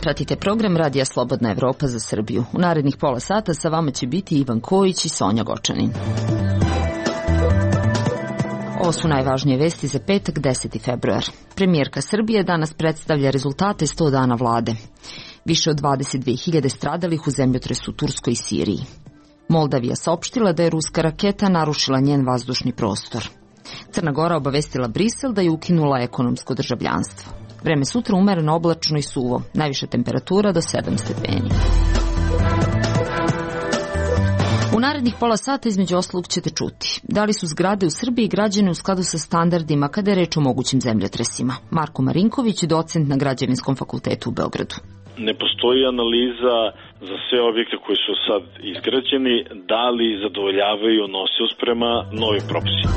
Pratite program Radija Slobodna Evropa za Srbiju. U narednih pola sata sa vama će biti Ivan Kojić i Sonja Gočanin. Ovo su najvažnije vesti za petak, 10. februar. Premijerka Srbije danas predstavlja rezultate 100 dana vlade. Više od 22.000 stradalih u zemljotresu u Turskoj i Siriji. Moldavija saopštila da je ruska raketa narušila njen vazdušni prostor. Crna Gora obavestila Brisel da je ukinula ekonomsko državljanstvo. Vreme sutra umereno oblačno i suvo, najviša temperatura do 7 stepeni. U narednih pola sata između ostalog ćete čuti da li su zgrade u Srbiji građene u skladu sa standardima kada je reč o mogućim zemljotresima. Marko Marinković, docent na Građevinskom fakultetu u Beogradu. Ne postoji analiza za sve objekte koji su sad izgrađeni, da li zadovoljavaju nosivost prema novim propisima.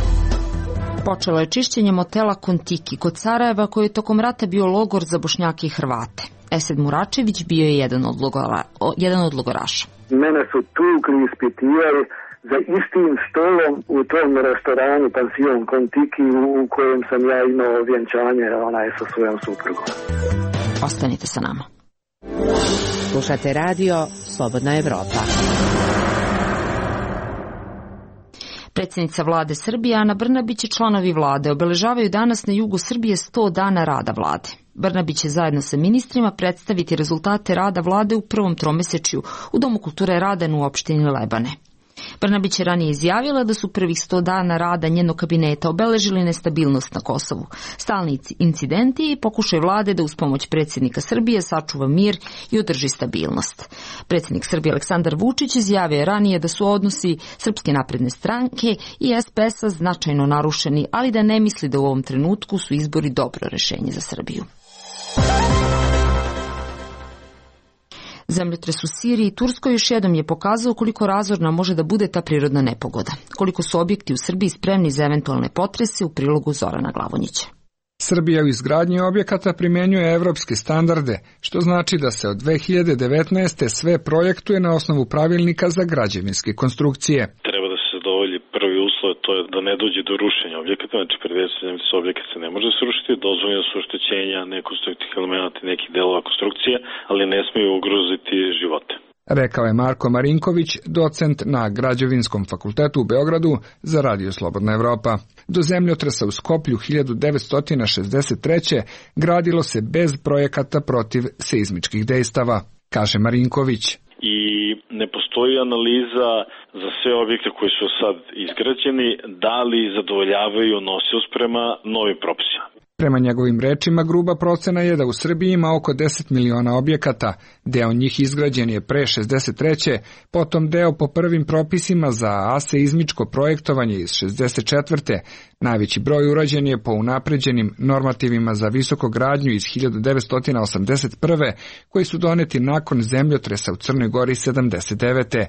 Počelo je čišćenje motela Kontiki kod Sarajeva, koji je tokom rata bio logor za Bošnjake i Hrvate. Esed Muračević bio je jedan od logoraša. Mene su tukli, ispitivali za istim stolom u tom restoranu pansion Kontiki u kojem sam ja imao vjenčanje sa svojom suprugom. Ostanite sa nama. Slušate radio Slobodna Evropa. Predsjednica vlade Srbije Ana Brnabić i članovi vlade obeležavaju danas na jugu Srbije 100 dana rada vlade. Brnabić će zajedno sa ministrima predstaviti rezultate rada vlade u prvom tromesečju u Domu kulture Radan u opštini Lebane. Brnabić je ranije izjavila da su prvih 100 dana rada njenog kabineta obeležili nestabilnost na Kosovu, stalni incidenti i pokušaj vlade da uz pomoć predsjednika Srbije sačuva mir i održi stabilnost. Predsjednik Srbije Aleksandar Vučić izjavio je ranije da su odnosi Srpske napredne stranke i SPS-a značajno narušeni, ali da ne misli da u ovom trenutku su izbori dobro rešenje za Srbiju. Zemljotres u Siriji i Turskoj još jednom je pokazao koliko razorna može da bude ta prirodna nepogoda, koliko su objekti u Srbiji spremni za eventualne potrese, u prilogu Zorana Glavonjića. Srbija u izgradnji objekata primenjuje evropske standarde, što znači da se od 2019. sve projektuje na osnovu pravilnika za građevinske konstrukcije. Treba da se zadovolji prvi uslov, to je da ne dođe do rušenja objekata, znači predstavljamo se objekat se ne može srušiti, dozvoljeno su oštećenja nekonstruktivnih elemenata i nekih delova konstrukcije, ali ne smiju ugroziti živote. Rekao je Marko Marinković, docent na Građevinskom fakultetu u Beogradu za Radio Slobodna Evropa. Do zemljotresa u Skoplju 1963. gradilo se bez projekata protiv seizmičkih dejstava, kaže Marinković. I ne postoji analiza za sve objekte koji su sad izgrađeni, da li zadovoljavaju nosivost prema novim propisima. Prema njegovim rečima, gruba procena je da u Srbiji ima oko 10 miliona objekata, deo njih izgrađen je pre 63. Potom deo po prvim propisima za aseizmičko projektovanje iz 64. Najveći broj urađen je po unapređenim normativima za visokogradnju iz 1981. koji su doneti nakon zemljotresa u Crnoj Gori 79.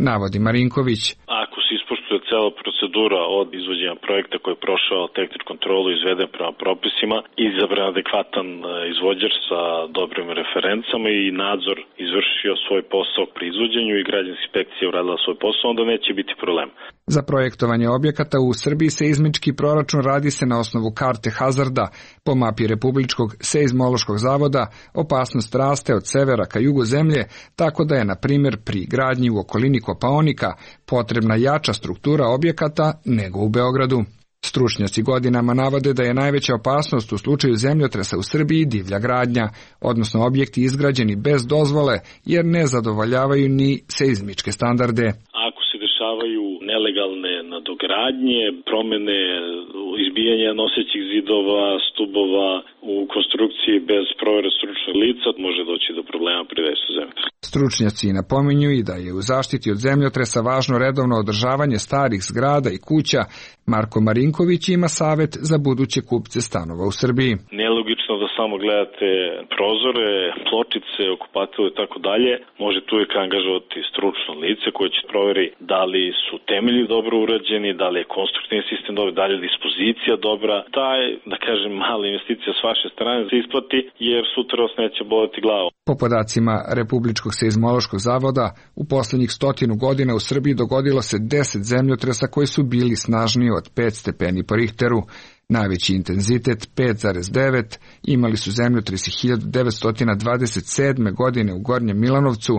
navodi Marinković. Ako se ispoštuje cela procedura od izvođenja projekta koji je prošao tehničku kontrolu izveden prema propisima, izabran adekvatan izvođač sa dobrim referencama i nadzor izvršio svoj posao pri izvođenju i građevinska inspekcija uradila svoj posao, onda neće biti problem. Za projektovanje objekata u Srbiji seizmički proračun radi se na osnovu karte hazarda. Po mapi Republičkog seizmološkog zavoda opasnost raste od severa ka jugu zemlje, tako da je, na primjer, pri gradnji u okolini Kopaonika potrebna jača struktura objekata nego u Beogradu. Stručnjaci godinama navode da je najveća opasnost u slučaju zemljotresa u Srbiji divlja gradnja, odnosno objekti izgrađeni bez dozvole jer ne zadovoljavaju ni seizmičke standarde. Ako se dešavaju nelegalne nadogradnje, promene, izbijanja nosećih zidova, stubova u konstrukciji bez provere stručnog lica, može doći do problema pri dejstvu zemljotresa. Stručnjaci napominju i da je u zaštiti od zemljotresa važno redovno održavanje starih zgrada i kuća. Marko Marinković ima savet za buduće kupce stanova u Srbiji. Nelogično da samo gledate prozore, pločice, okupatilo i tako dalje. Možete uvijek angažovati stručno lice koje će proveri da li li su temelji dobro urađeni, da li je konstruktivni sistem dobar, da li je dispozicija dobra. Taj, da kažem, mala investicija s vaše strane se isplati, jer sutra vas neće boleti glavu. Po podacima Republičkog seizmološkog zavoda, u poslednjih 100 godina u Srbiji dogodilo se 10 zemljotresa koji su bili snažniji od 5 stepeni po Richteru. Najveći intenzitet 5,9 imali su zemljotresi 1927. godine u Gornjem Milanovcu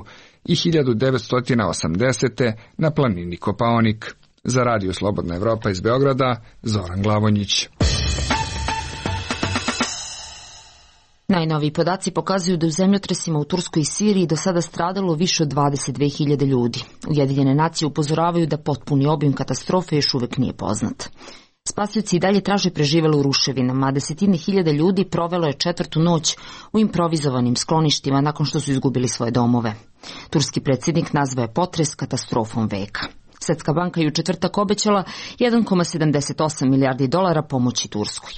i 1980. na planini Kopaonik. Za Radio Slobodna Evropa iz Beograda, Zoran Glavonjić. Najnoviji podaci pokazuju da u zemljotresima u Turskoj i Siriji do sada stradalo više od 22.000 ljudi. Ujedinjene nacije upozoravaju da potpuni obim katastrofe još uvek nije poznat. Spasioci i dalje traže preživele u ruševinama, a desetine hiljada ljudi provelo je 4. noć u improvizovanim skloništima nakon što su izgubili svoje domove. Turski predsjednik nazvao je potres katastrofom veka. Svetska banka je u četvrtak obećala 1,78 milijardi dolara pomoći Turskoj.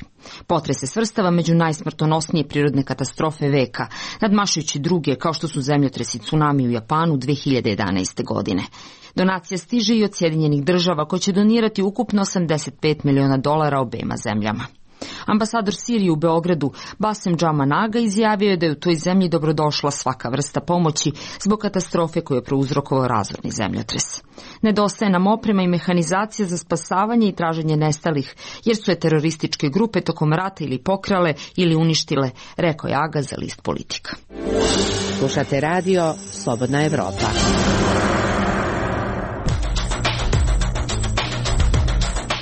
Potres se svrstava među najsmrtonosnije prirodne katastrofe veka, nadmašujući druge kao što su zemljotresi tsunami u Japanu 2011. godine. Donacija stiže i od Sjedinjenih država koje će donirati ukupno 85 miliona dolara obema zemljama. Ambasador Sirije u Beogradu Basem Džamanaga izjavio je da je u toj zemlji dobrodošla svaka vrsta pomoći zbog katastrofe koju je prouzrokovao razorni zemljotres. Nedostaje nam oprema i mehanizacija za spasavanje i traženje nestalih, jer su je terorističke grupe tokom rata ili pokrale ili uništile, rekao je Aga za list Politika. Slušate radio Slobodna Evropa.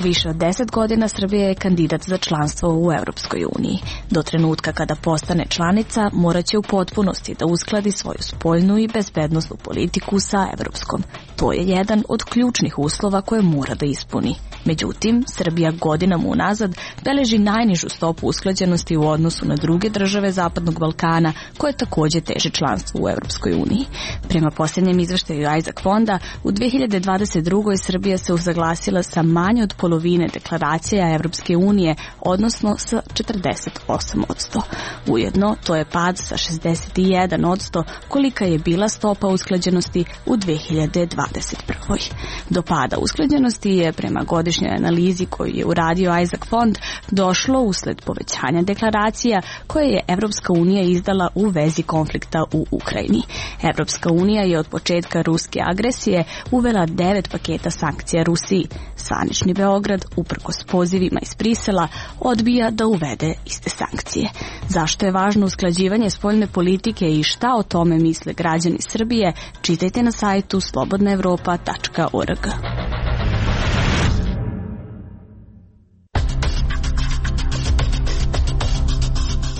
Više od 10 godina Srbija je kandidat za članstvo u Europskoj uniji. Do trenutka kada postane članica, morat će u potpunosti da uskladi svoju spoljnu i bezbednosnu politiku sa evropskom. To je jedan od ključnih uslova koje mora da ispuni. Međutim, Srbija godinama unazad beleži najnižu stopu usklađenosti u odnosu na druge države Zapadnog Balkana, koje takođe teže članstvo u Europskoj uniji. Prema posljednjem izveštaju Isaac fonda, u 2022. Srbija se usaglasila sa manje od polovine deklaracija Evropske unije, odnosno sa 48%. Ujedno, to je pad sa 61%, kolika je bila stopa usklađenosti u 2021. Do pada usklađenosti je prema godišnjoj analizi koju je uradio Isaac fond došlo usled povećanja deklaracija koje je Evropska unija izdala u vezi konflikta u Ukrajini. Evropska unija je od početka ruske agresije uvela 9 paketa sankcija Rusiji. Zvanični Beograd, uprkos pozivima iz Brisela, odbija da uvede iste sankcije. Zašto je važno usklađivanje spoljne politike i šta o tome misle građani Srbije, čitajte na sajtu slobodnaevropa.org.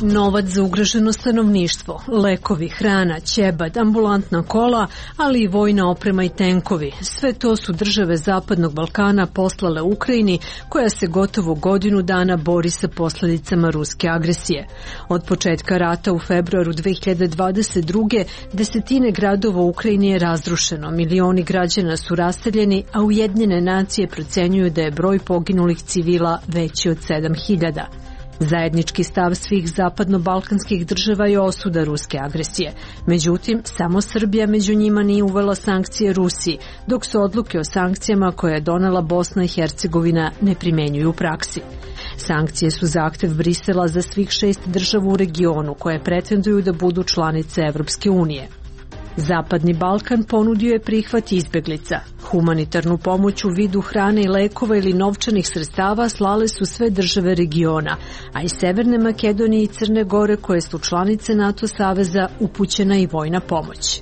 Novac za ugroženo stanovništvo, lekovi, hrana, ćebad, ambulantna kola, ali i vojna oprema i tenkovi. Sve to su države Zapadnog Balkana poslale Ukrajini, koja se gotovo godinu dana bori sa posljedicama ruske agresije. Od početka rata u februaru 2022. desetine gradova u Ukrajini je razrušeno, milioni građana su raseljeni, a Ujedinjene nacije procenjuju da je broj poginulih civila veći od 7.000. Zajednički stav svih zapadno-balkanskih država je osuda ruske agresije. Međutim, samo Srbija među njima nije uvela sankcije Rusiji, dok se odluke o sankcijama koje je donela Bosna i Hercegovina ne primenjuju u praksi. Sankcije su zahtev Brisela za svih 6 država u regionu koje pretenduju da budu članice Evropske unije. Zapadni Balkan ponudio je prihvat izbeglica. Humanitarnu pomoć u vidu hrane i lekova ili novčanih sredstava slale su sve države regiona, a iz Severne Makedonije i Crne Gore, koje su članice NATO saveza, upućena i vojna pomoć.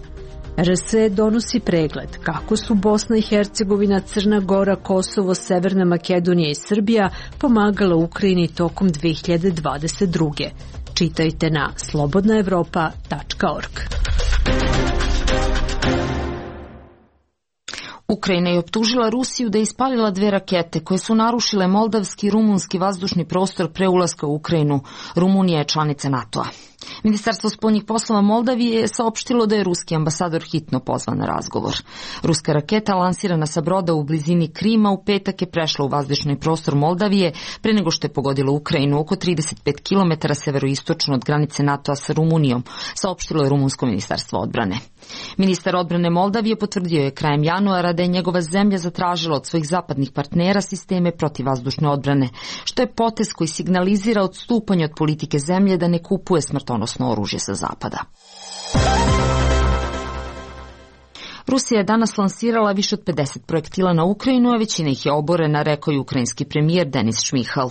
RS donosi pregled kako su Bosna i Hercegovina, Crna Gora, Kosovo, Severna Makedonija i Srbija pomagala Ukrajini tokom 2022. Čitajte na slobodnaevropa.org. Ukrajina je optužila Rusiju da je ispalila 2 rakete koje su narušile moldavski i rumunski vazdušni prostor pre ulaska u Ukrajinu. Rumunija je članica NATO-a. Ministarstvo spoljnih poslova Moldavije je saopštilo da je ruski ambasador hitno pozvan na razgovor. Ruska raketa lansirana sa broda u blizini Krima u petak je prešla u vazdušni prostor Moldavije pre nego što je pogodila Ukrajinu oko 35 km severoistočno od granice NATO-a sa Rumunijom, saopštilo je rumunsko ministarstvo odbrane. Ministar odbrane Moldavije potvrdio je krajem januara da je njegova zemlja zatražila od svojih zapadnih partnera sisteme protivvazdušne odbrane, što je potez koji signalizira odstupanje od politike zemlje da ne kupuje smrtonosno oružje sa zapada. Rusija je danas lansirala više od 50 projektila na Ukrajinu, a većina ih je oborena, rekao je ukrajinski premijer Denis Šmihal.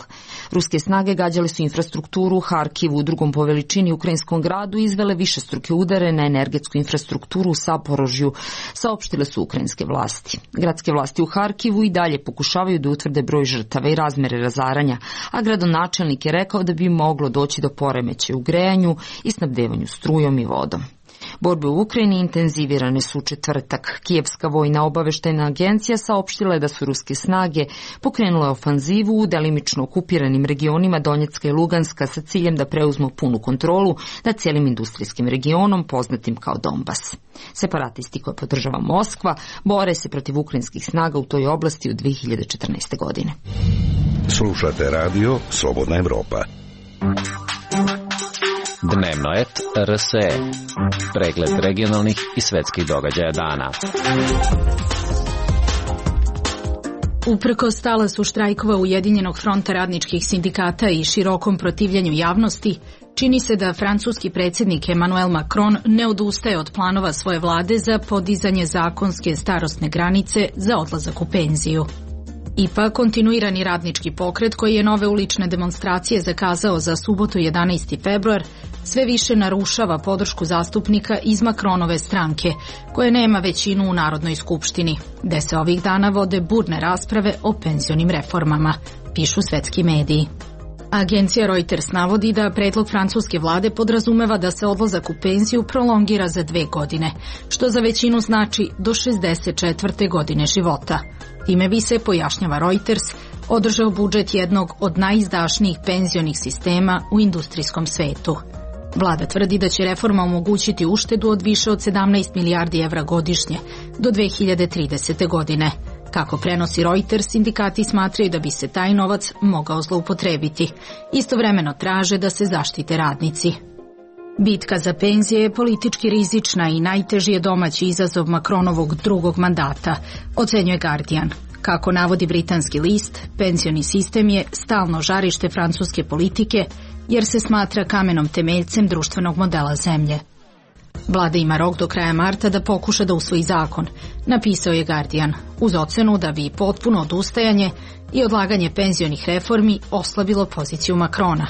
Ruske snage gađale su infrastrukturu u Harkivu, u drugom po veličini ukrajinskom gradu, i izvele višestruke udare na energetsku infrastrukturu u Saporožju, saopštile su ukrajinske vlasti. Gradske vlasti u Harkivu i dalje pokušavaju da utvrde broj žrtava i razmere razaranja, a gradonačelnik je rekao da bi moglo doći do poremećaja u grejanju i snabdevanju strujom i vodom. Borbe u Ukrajini intenzivirane su u četvrtak. Kijevska vojna obaveštajna agencija saopštila je da su ruske snage pokrenule ofanzivu u delimično okupiranim regionima Donjecka i Luganska sa ciljem da preuzmu punu kontrolu nad cijelim industrijskim regionom poznatim kao Donbas. Separatisti koje podržava Moskva bore se protiv ukrajinskih snaga u toj oblasti od 2014. godine. Slušate radio Slobodna Evropa. Dnevno et RSE. Pregled regionalnih i svetskih događaja dana. Uprkos talasu štrajkova Ujedinjenog fronta radničkih sindikata i širokom protivljenju javnosti, čini se da francuski predsjednik Emmanuel Macron ne odustaje od planova svoje vlade za podizanje zakonske starosne granice za odlazak u penziju. Ipak, kontinuirani radnički pokret koji je nove ulične demonstracije zakazao za subotu 11. februar sve više narušava podršku zastupnika iz Macronove stranke, koje nema većinu u Narodnoj skupštini, gde se ovih dana vode burne rasprave o penzionim reformama, pišu svetski mediji. Agencija Reuters navodi da predlog francuske vlade podrazumeva da se odlazak u penziju prolongira za 2 godine, što za većinu znači do 64. godine života. Time bi se, pojašnjava Reuters, održao budžet jednog od najizdašnijih penzionih sistema u industrijskom svetu. Vlada tvrdi da će reforma omogućiti uštedu od više od 17 milijardi evra godišnje do 2030. godine. Kako prenosi Reuters, sindikati smatraju da bi se taj novac mogao zloupotrebiti. Istovremeno traže da se zaštite radnici. Bitka za penzije je politički rizična i najteži je domaći izazov Macronovog drugog mandata, ocenjuje Guardian. Kako navodi britanski list, penzioni sistem je stalno žarište francuske politike jer se smatra kamenom temeljcem društvenog modela zemlje. Vlada ima rok do kraja marta da pokuša da usvoji zakon, napisao je Guardian, uz ocenu da bi potpuno odustajanje i odlaganje penzionih reformi oslabilo poziciju Macrona.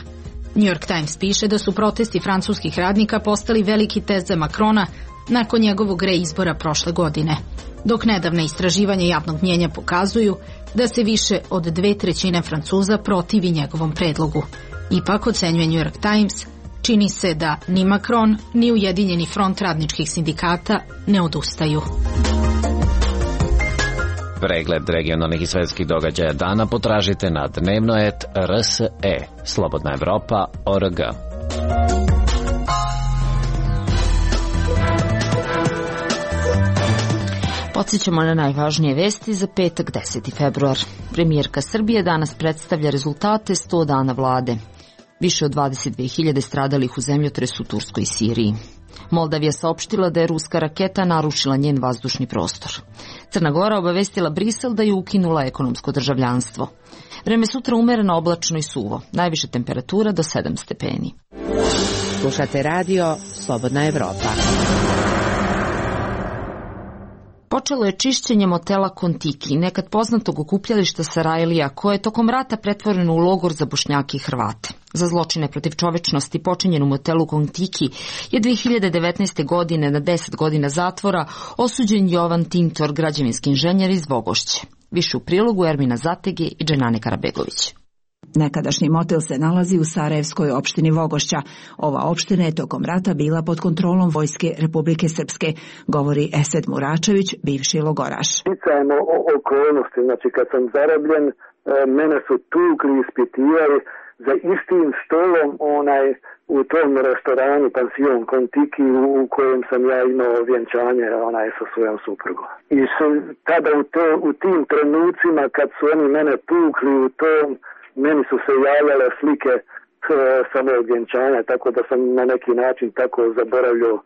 New York Times piše da su protesti francuskih radnika postali veliki test za Macrona nakon njegovog reizbora prošle godine, dok nedavne istraživanja javnog mnjenja pokazuju da se više od 2/3 Francuza protivi njegovom predlogu. Ipak, ocenjuje New York Times, čini se da ni Macron, ni Ujedinjeni front radničkih sindikata ne odustaju. Pregled regionalnih i svetskih događaja dana potražite na dnevnoet.rse, Slobodna Evropa.org. Podsjećamo na najvažnije vesti za petak 10. februar. Premijerka Srbije danas predstavlja rezultate 100 dana vlade. Više od 22.000 stradalih u zemljotresu u Turskoj i Siriji. Moldavija saopštila da je ruska raketa narušila njen vazdušni prostor. Crna Gora obavestila Brisel da je ukinula ekonomsko državljanstvo. Vreme sutra umereno, oblačno i suvo. Najviše temperatura do 7 stepeni. Slušate radio Slobodna Evropa. Počelo je čišćenje motela Kontiki, nekad poznatog okupljališta Sarajlija, koje je tokom rata pretvoreno u logor za Bošnjake i Hrvate. Za zločine protiv čovečnosti počinjen u motelu Kontiki je 2019. godine na 10 godina zatvora osuđen Jovan Tintor, građevinski inženjer iz Vogošće. Više u prilogu Ermina Zatege i Dženane Karabegović. Nekadašnji motel se nalazi u Sarajevskoj opštini Vogošća. Ova opština je tokom rata bila pod kontrolom Vojske Republike Srpske, govori Esed Muračević, bivši logoraš. Sticajem okolnosti, znači kad sam zarobljen, mene su tukli, ispitivali za istim stolom u tom restoranu Pansion Kontiki u kojem sam ja imao vjenčanje sa svojom suprugom. I tada u tim trenucima kad su oni mene tukli meni su se javljale slike samog vjenčanja, tako da sam na neki način tako zaboravljao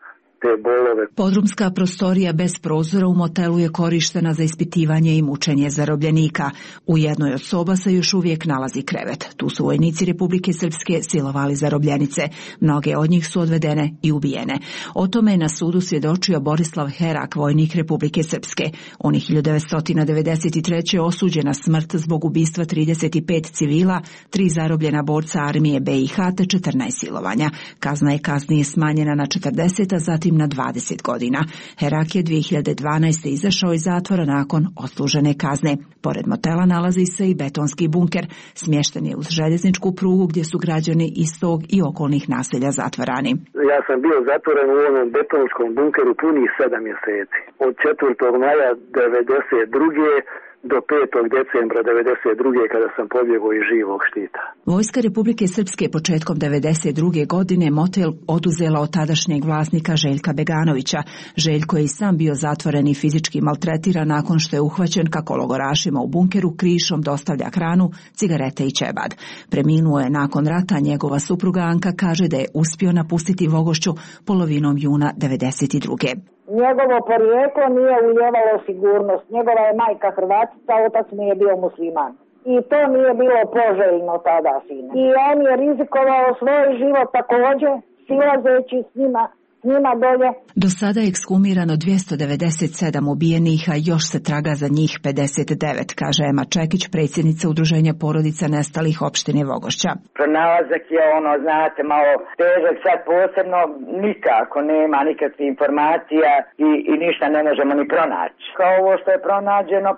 te bolove. Podrumska prostorija bez prozora u motelu je korištena za ispitivanje i mučenje zarobljenika. U jednoj od soba se još uvijek nalazi krevet. Tu su vojnici Republike Srpske silovali zarobljenice. Mnoge od njih su odvedene i ubijene. O tome je na sudu svjedočio Borislav Herak, vojnik Republike Srpske. On je 1993. osuđen na smrt zbog ubistva 35 civila, 3 zarobljena borca armije BiH te 14 silovanja. Kazna je kasnije smanjena na 40, a zatim na 20 godina. Herak je 2012. izašao iz zatvora nakon odslužene kazne. Pored motela nalazi se i betonski bunker. Smješten je uz željezničku prugu gdje su građani iz tog i okolnih naselja zatvarani. Ja sam bio zatvoren u onom betonskom bunkeru punih 7 mjeseci. Od 4. maja 1992. do 5. decembra 1992. kada sam pobjegao iz živog štita. Vojska Republike Srpske početkom 1992. godine motel oduzela od tadašnjeg vlasnika Željka Beganovića. Željko je i sam bio zatvoren i fizički maltretiran nakon što je uhvaćen kako logorašima u bunkeru krišom dostavlja hranu, cigarete i ćebad. Preminuo je nakon rata, njegova supruga Anka kaže da je uspio napustiti Vogošću polovinom juna 1992. Njegovo porijeklo nije ulijevalo sigurnost. Njegova je majka Hrvatica, otac mi je bio musliman. I to nije bilo poželjno tada, sine. I on je rizikovao svoj život također, silazeći s njima dolje. Do sada je ekshumirano 297 ubijenih, a još se traga za njih 59, kaže Ema Čekić, predsjednica Udruženja porodica nestalih opštine Vogošća. Pronalazak je znate, malo težak, sad posebno nikako nema nikakvih informacija i ništa ne možemo ni pronaći. Kao ovo što je pronađeno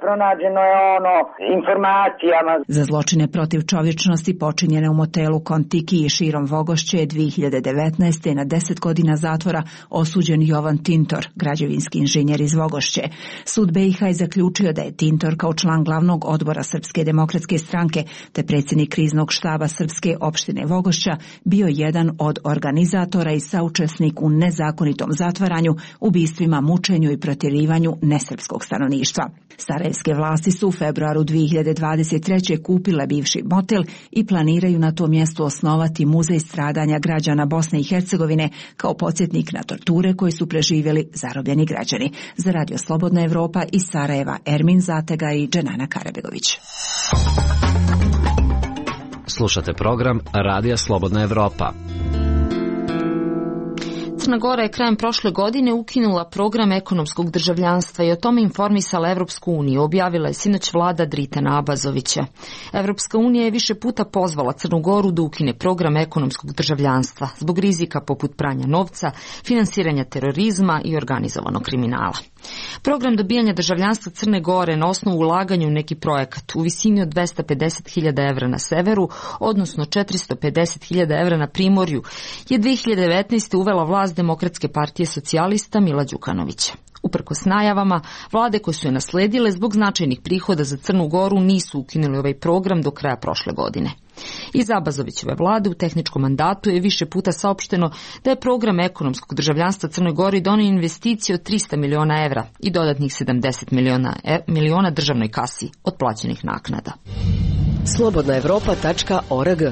je informacijama. Za zločine protiv čovječnosti počinjene u motelu Kontiki i širom Vogošće je 2019. na 10 godina zatvora osuđen Jovan Tintor, građevinski inženjer iz Vogošće. Sud BiH je zaključio da je Tintor kao član glavnog odbora Srpske demokratske stranke te predsjednik kriznog štaba Srpske opštine Vogošća bio jedan od organizatora i saučesnik u nezakonitom zatvaranju, ubistvima, mučenju i protjerivanju nesrpskog stanovništva. Sarajevske vlasti su u februaru 2023. kupile bivši motel i planiraju na tom mjestu osnovati muzej stradanja građana Bosne i Hercegovine kao podsjetnik na torture koje su preživjeli zarobljeni građani. Za Radio Slobodna Evropa iz Sarajeva Ermin Zatega i Dženana Karabegović. Slušate program Radija Slobodna Evropa. Crna Gora je krajem prošle godine ukinula program ekonomskog državljanstva i o tome informisala Evropsku uniju, objavila je sinoć vlada Dritana Abazovića. Evropska unija je više puta pozvala Crnu Goru da ukine program ekonomskog državljanstva zbog rizika poput pranja novca, finansiranja terorizma i organizovanog kriminala. Program dobijanja državljanstva Crne Gore na osnovu ulaganja u neki projekat u visini od 250.000 evra na severu, odnosno 450.000 evra na primorju, je 2019. uvela vlast Demokratske partije socijalista Mila Đukanovića. Uprkos najavama, vlade koje su je nasledile zbog značajnih prihoda za Crnu Goru nisu ukinuli ovaj program do kraja prošle godine. Iz Abazovićeve vlade u tehničkom mandatu je više puta saopšteno da je program ekonomskog državljanstva Crnoj Gori donio investicije od 300 miliona evra i dodatnih 70 miliona državnoj kasi od plaćenih naknada. Slobodnaevropa.org.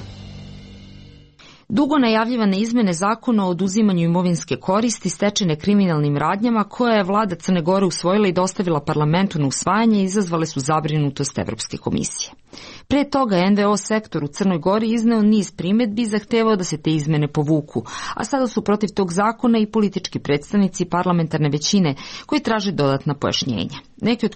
Dugo najavljivane izmene zakona o oduzimanju imovinske koristi stečene kriminalnim radnjama koje je vlada Crne Gore usvojila i dostavila parlamentu na usvajanje izazvale su zabrinutost Evropske komisije. Pre toga NVO sektor u Crnoj Gori izneo niz primjedbi i zahtevao da se te izmene povuku, a sada su protiv tog zakona i politički predstavnici parlamentarne većine koji traže dodatna pojašnjenja. Neki od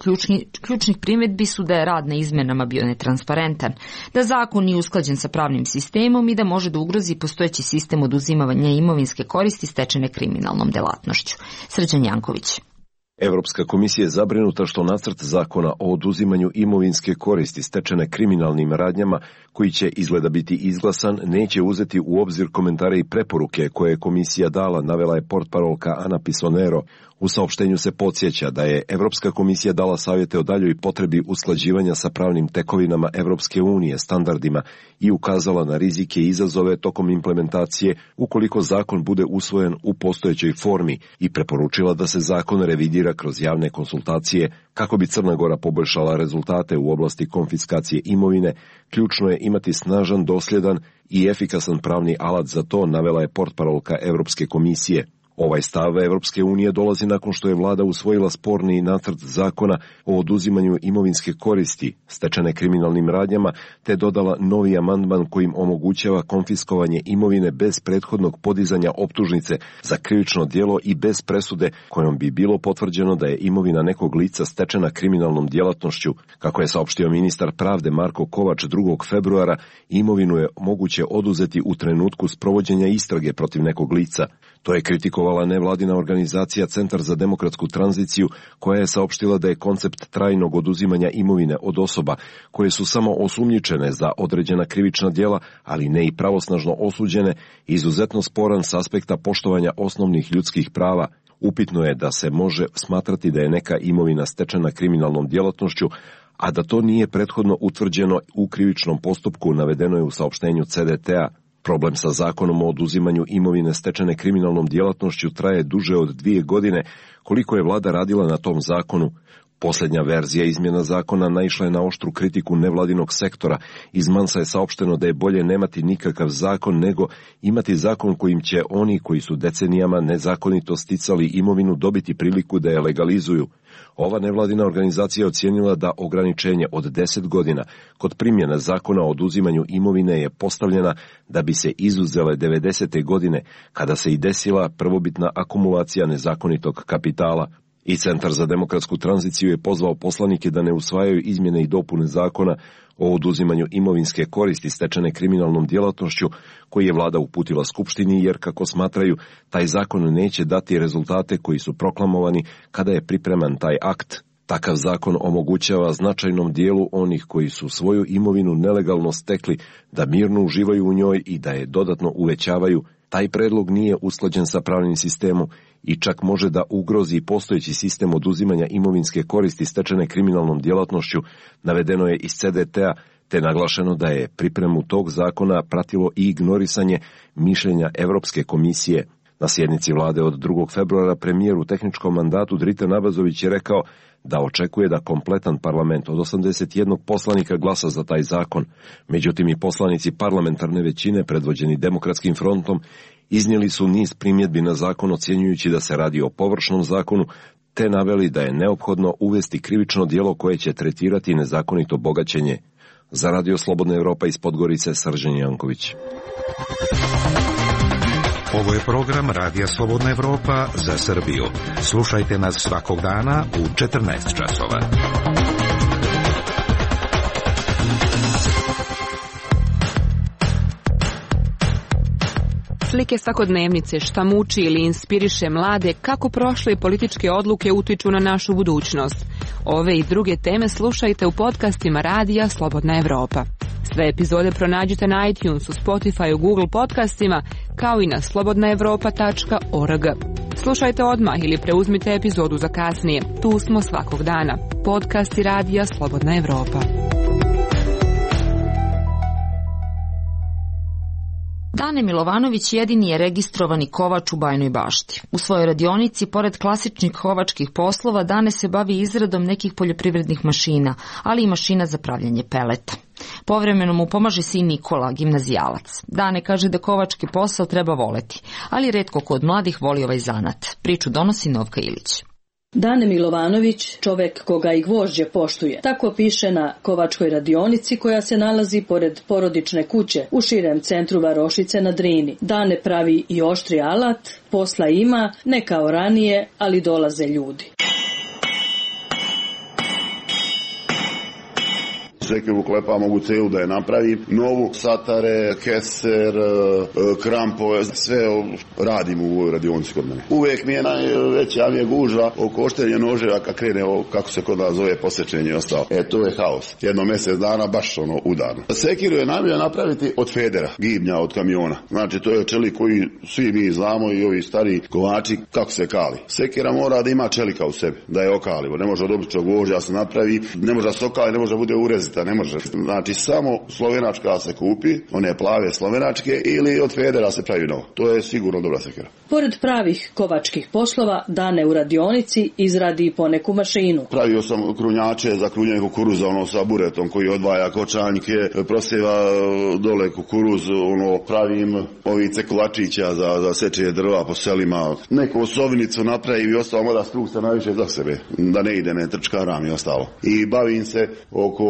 ključnih primjedbi su da je rad na izmenama bio netransparentan, da zakon nije usklađen sa pravnim sistemom i da može da ugrozi postojeći sistem oduzimanja imovinske koristi stečene kriminalnom delatnošću. Srđan Janković. Evropska komisija je zabrinuta što nacrt zakona o oduzimanju imovinske koristi stečene kriminalnim radnjama, koji će izgleda biti izglasan, neće uzeti u obzir komentare i preporuke koje je komisija dala, navela je portparolka Ana Pisonero. U saopštenju se podsjeća da je Evropska komisija dala savjete o daljoj potrebi usklađivanja sa pravnim tekovinama Evropske unije, standardima, i ukazala na rizike i izazove tokom implementacije ukoliko zakon bude usvojen u postojećoj formi i preporučila da se zakon revidira kroz javne konsultacije kako bi Crna Gora poboljšala rezultate u oblasti konfiskacije imovine. Ključno je imati snažan, dosljedan i efikasan pravni alat za to, navela je portparolka Evropske komisije. Ovaj stav Evropske unije dolazi nakon što je vlada usvojila sporni nacrt zakona o oduzimanju imovinske koristi stečene kriminalnim radnjama, te dodala novi amandman kojim omogućava konfiskovanje imovine bez prethodnog podizanja optužnice za krivično djelo i bez presude kojom bi bilo potvrđeno da je imovina nekog lica stečena kriminalnom djelatnošću. Kako je saopštio ministar pravde Marko Kovač 2. februara, imovinu je moguće oduzeti u trenutku sprovođenja istrage protiv nekog lica. To je kritikovala nevladina organizacija Centar za demokratsku tranziciju, koja je saopštila da je koncept trajnog oduzimanja imovine od osoba koje su samo osumnjičene za određena krivična djela, ali ne i pravosnažno osuđene, izuzetno sporan s aspekta poštovanja osnovnih ljudskih prava. Upitno je da se može smatrati da je neka imovina stečena kriminalnom djelatnošću, a da to nije prethodno utvrđeno u krivičnom postupku, navedeno je u saopštenju CDT-a. Problem sa zakonom o oduzimanju imovine stečene kriminalnom djelatnošću traje duže od 2 godine, koliko je vlada radila na tom zakonu. Posljednja verzija izmjena zakona naišla je na oštru kritiku nevladinog sektora. Iz Mansa je saopšteno da je bolje nemati nikakav zakon nego imati zakon kojim će oni koji su decenijama nezakonito sticali imovinu dobiti priliku da je legalizuju. Ova nevladina organizacija ocijenila da ograničenje od 10 godina kod primjene zakona o oduzimanju imovine je postavljena da bi se izuzele 90. godine, kada se i desila prvobitna akumulacija nezakonitog kapitala. I Centar za demokratsku tranziciju je pozvao poslanike da ne usvajaju izmjene i dopune zakona o oduzimanju imovinske koristi stečene kriminalnom djelatnošću koji je vlada uputila Skupštini, jer, kako smatraju, taj zakon neće dati rezultate koji su proklamovani kada je pripreman taj akt. Takav zakon omogućava značajnom dijelu onih koji su svoju imovinu nelegalno stekli da mirno uživaju u njoj i da je dodatno uvećavaju. Taj predlog nije usklađen sa pravnim sistemom i čak može da ugrozi postojeći sistem oduzimanja imovinske koristi stečene kriminalnom djelatnošću, navedeno je iz CDT-a, te naglašeno da je pripremu tog zakona pratilo i ignorisanje mišljenja Evropske komisije. Na sjednici vlade od 2. februara premijer u tehničkom mandatu Dritan Abazović je rekao da očekuje da kompletan parlament od 81 poslanika glasa za taj zakon. Međutim, i poslanici parlamentarne većine, predvođeni Demokratskim frontom, iznijeli su niz primjedbi na zakon, ocjenjujući da se radi o površnom zakonu, te naveli da je neophodno uvesti krivično djelo koje će tretirati nezakonito bogaćenje. Za Radio Slobodna Evropa iz Podgorice, Srđan Janković. Ovo je program Radija Slobodna Evropa za Srbiju. Slušajte nas svakog dana u 14 časova. Slike svakodnevnice, šta muči ili inspiriše mlade, kako prošle političke odluke utiču na našu budućnost. Ove i druge teme slušajte u podcastima Radija Slobodna Evropa. Sve epizode pronađite na iTunesu, Spotifyu, Google podcastima, kao i na slobodnaevropa.org. Slušajte odmah ili preuzmite epizodu za kasnije. Tu smo svakog dana. Podcasti Radija Slobodna Evropa. Dane Milovanović jedini je registrovani kovač u Bajnoj Bašti. U svojoj radionici, pored klasičnih kovačkih poslova, Dane se bavi izradom nekih poljoprivrednih mašina, ali i mašina za pravljanje peleta. Povremeno mu pomaže sin Nikola, gimnazijalac. Dane kaže da kovački posao treba voleti, ali retko ko od mladih voli ovaj zanat. Priču donosi Novka Ilić. Dane Milovanović, čovek koga i gvožđe poštuje. Tako piše na kovačkoj radionici koja se nalazi pored porodične kuće u širem centru Varošice na Drini. Dane pravi i oštri alat, posla ima, ne kao ranije, ali dolaze ljudi. sekiru klepa, mogu celu da je napravim, novu, satare, keser, krampove, sve radim u ovoj radionici kod mene. Uvijek mi je najveća gužva oko oštenja noževa kad krene, kako se kod nas zove, posečenje i ostalo. To je haos. Jedno mjesec dana baš udarno. Sekiru je najbolje napraviti od federa, gibnja od kamiona. Znači to je čelik koji svi mi znamo i ovi stari kovači kako se kali. Sekira mora da ima čelika u sebi, da je okalivo. Ne može od običnog gvožđa se napravi, ne može da se okali, ne može da bude urezita, ne može. Znači samo slovenačka se kupi, one plave slovenačke, ili od federa se pravi novo. To je sigurno dobra sekira. Pored pravih kovačkih poslova, Dane u radionici izradi i poneku mašinu. Pravio sam krunjače za krunjanje kukuruza, sa buretom koji odvaja kočanjke, prosjeva dole kukuruz, pravim ovi cekulačića za sečenje drva po selima. Neku osovinicu napravim i ostalo mora strukta najviše za sebe, da ne ide, ne trčkaram i ostalo. I bavim se oko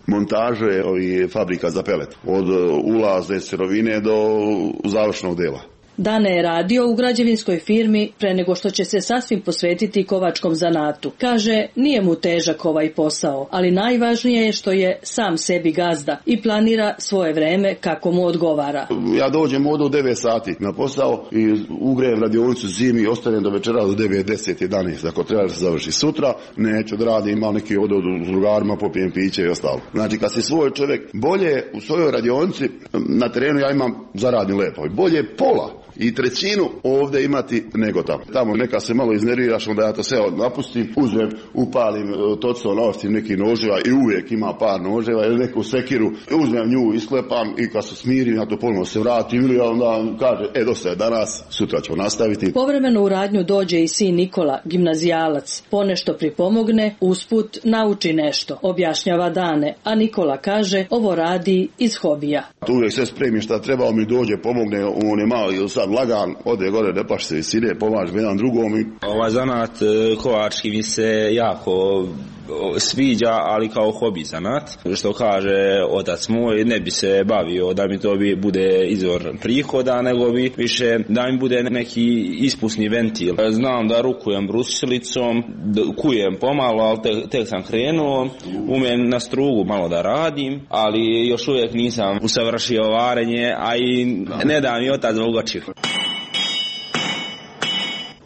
montaže ovih fabrika za pelet, od ulazne sirovine do završnog dela. Dane je radio u građevinskoj firmi pre nego što će se sasvim posvetiti kovačkom zanatu. Kaže, nije mu težak ovaj posao, ali najvažnije je što je sam sebi gazda i planira svoje vreme kako mu odgovara. Ja dođem ovdje u 9 sati na posao i ugrejem radionicu zimi i ostanem do večera do 9, 10, 11. Ako treba da se završi sutra, neću da radim, imam neki odu s drugarima, popijem piće i ostalo. Znači, kad si svoj čovjek, bolje u svojoj radionici, na terenu ja imam zaradni lepo, bolje pola i trećinu ovdje imati nego tamo. Tamo neka se malo iznerviraš, onda ja to sve napustim, uzmem, upalim točno, naostim neki noževa i uvijek ima par noževa ili neku sekiru, uzmem nju, isklepam i kad se smirim, ja to ponovno se vratim ili onda kaže, dosta je danas, sutra ću nastaviti. Povremeno u radnju dođe i sin Nikola, gimnazijalac, ponešto pripomogne, usput nauči nešto, objašnjava Dane, a Nikola kaže, ovo radi iz hobija. Tu uvijek sve spremim šta treba, mi dođe, pomogne, on je malo ili sad lagan, ode gore, ne paš se visine, pomažem jedan drugom. Ovaj zanat kovački mi se jako sviđa, ali kao hobi zanat. Što kaže otac moj, ne bi se bavio da mi to bude izvor prihoda, nego bi više da mi bude neki ispusni ventil. Znam da rukujem brusilicom, kujem pomalo, ali tek sam krenuo, umem na strugu malo da radim, ali još uvijek nisam usavršio varenje, a i ne da mi otac da ugačio.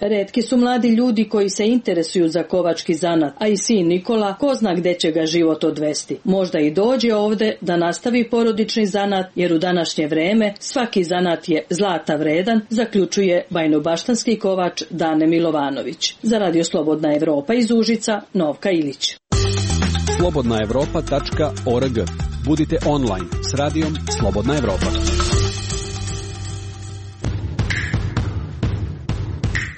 Retki su mladi ljudi koji se interesuju za kovački zanat, a i sin Nikola ko zna gde će ga život odvesti. Možda i dođe ovde da nastavi porodični zanat, jer u današnje vreme svaki zanat je zlata vredan, zaključuje bajnobaštanski kovač Dane Milovanović. Za Radio Slobodna Evropa iz Užica, Novka Ilić. slobodnaevropa.org. Budite online s radijom Slobodna Evropa.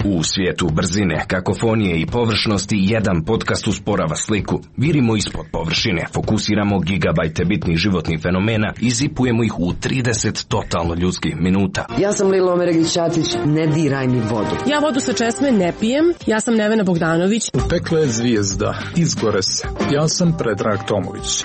U svijetu brzine, kakofonije i površnosti jedan podcast usporava sliku. Virimo ispod površine, fokusiramo gigabajte bitnih životnih fenomena i zipujemo ih u 30 totalno ljudskih minuta. Ja sam Lilo Omeregić-Ćatić, ne diraj mi vodu. Ja vodu sa česme ne pijem, ja sam Nevena Bogdanović. Upekla je zvijezda, izgore se. Ja sam Predrag Tomović.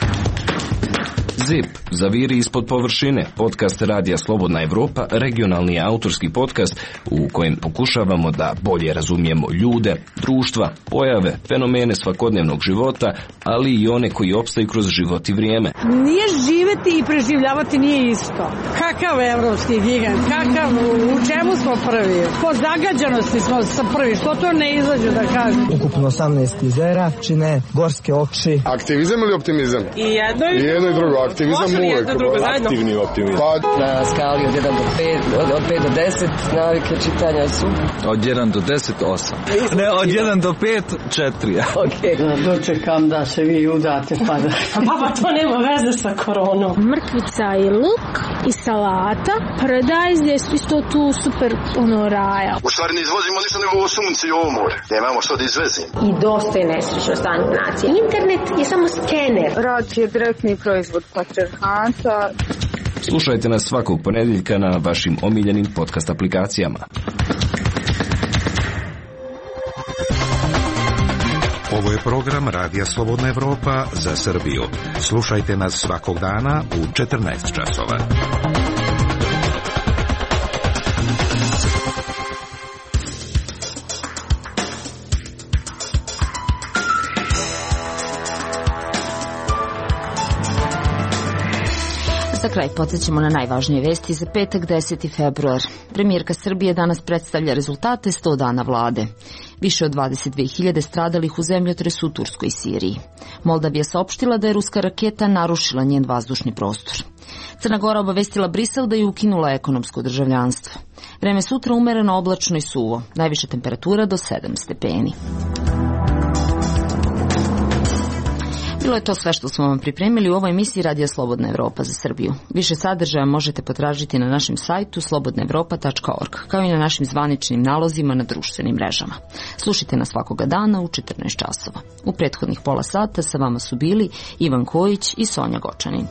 ZIP, zaviri ispod površine, podcast Radija Slobodna Evropa, regionalni autorski podcast u kojem pokušavamo da bolje razumijemo ljude, društva, pojave, fenomene svakodnevnog života, ali i one koji opstaju kroz život i vrijeme. Nije živeti i preživljavati nije isto. Kakav evropski gigant, kakav, u čemu smo prvi? Po zagađanosti smo prvi, što to ne izađu da kažu? Ukupno 18 jezera, čine gorske oči. Aktivizam ili optimizam? I jedno i drugo. Aktivizam uvijek. Aktivni optimizam. Na skali od 1 do 5, od 5 do 10, navike čitanja su. Od 1 do 10, 8. Ne, od 1 do 5, 4. Okej. Dočekam da se vi udate pa da... Baba, to nema veze sa koronom. Mrkvica i luk i salata. Paradajz gdje su isto tu super raja. U stvari ne izvozimo ništa nego sunce i ovo more. Nemamo što da izvezimo. I dosta je nesrećno stanje nacije. Internet je samo skener. Rad je direktni proizvod patrijarhata. Slušajte nas svakog ponedjeljka na vašim omiljenim podcast aplikacijama. Ovo je program Radija Slobodna Evropa za Srbiju. Slušajte nas svakog dana u 14 časova. Za kraj podsjećamo na najvažnije vesti za petak 10. februar. Premijerka Srbije danas predstavlja rezultate 100 dana vlade. Više od 22.000 stradalih u zemljotresu u Turskoj i Siriji. Moldavija saopštila da je ruska raketa narušila njen vazdušni prostor. Crna Gora obavestila Brisel da je ukinula ekonomsko državljanstvo. Vreme sutra umereno, oblačno i suvo. Najviša temperatura do 7 stepeni. Bilo je to sve što smo vam pripremili u ovoj emisiji Radija Slobodna Evropa za Srbiju. Više sadržaja možete potražiti na našem sajtu slobodnaevropa.org, kao i na našim zvaničnim nalozima na društvenim mrežama. Slušajte nas svakoga dana u 14 časova. U prethodnih pola sata sa vama su bili Ivan Kojić i Sonja Gočanin.